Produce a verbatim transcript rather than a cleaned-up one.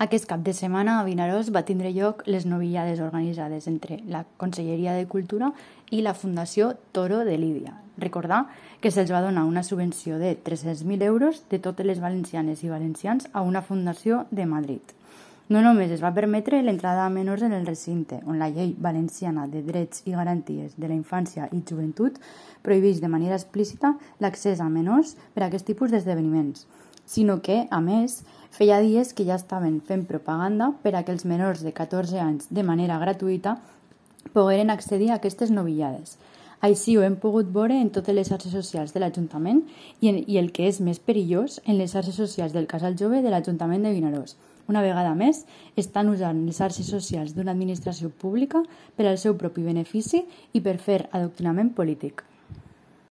Aquest cap de setmana a Vinaròs va tindre lloc les novillades organitzades entre la Conselleria de Cultura i la Fundació Toro de Lídia. Recordar que se'ls va donar una subvenció de tres-cents mil euros de totes les valencianes i valencians a una fundació de Madrid. No només es va permetre l'entrada a menors en el recinte, on la llei valenciana de drets i garanties de la infància i joventut prohibeix de manera explícita l'accés a menors per a aquest tipus d'esdeveniments, sinó que, a més, feia dies que ja estaven fent propaganda per a que els menors de catorze anys de manera gratuïta pogueren accedir a aquestes novillades. Així ho hem pogut veure en totes les xarxes socials de l'Ajuntament i, en, i el que és més perillós, en les xarxes socials del Casal Jove de l'Ajuntament de Vinaròs. Una vegada més, estan usant les xarxes socials d'una administració pública per al seu propi benefici i per fer adoctrinament polític.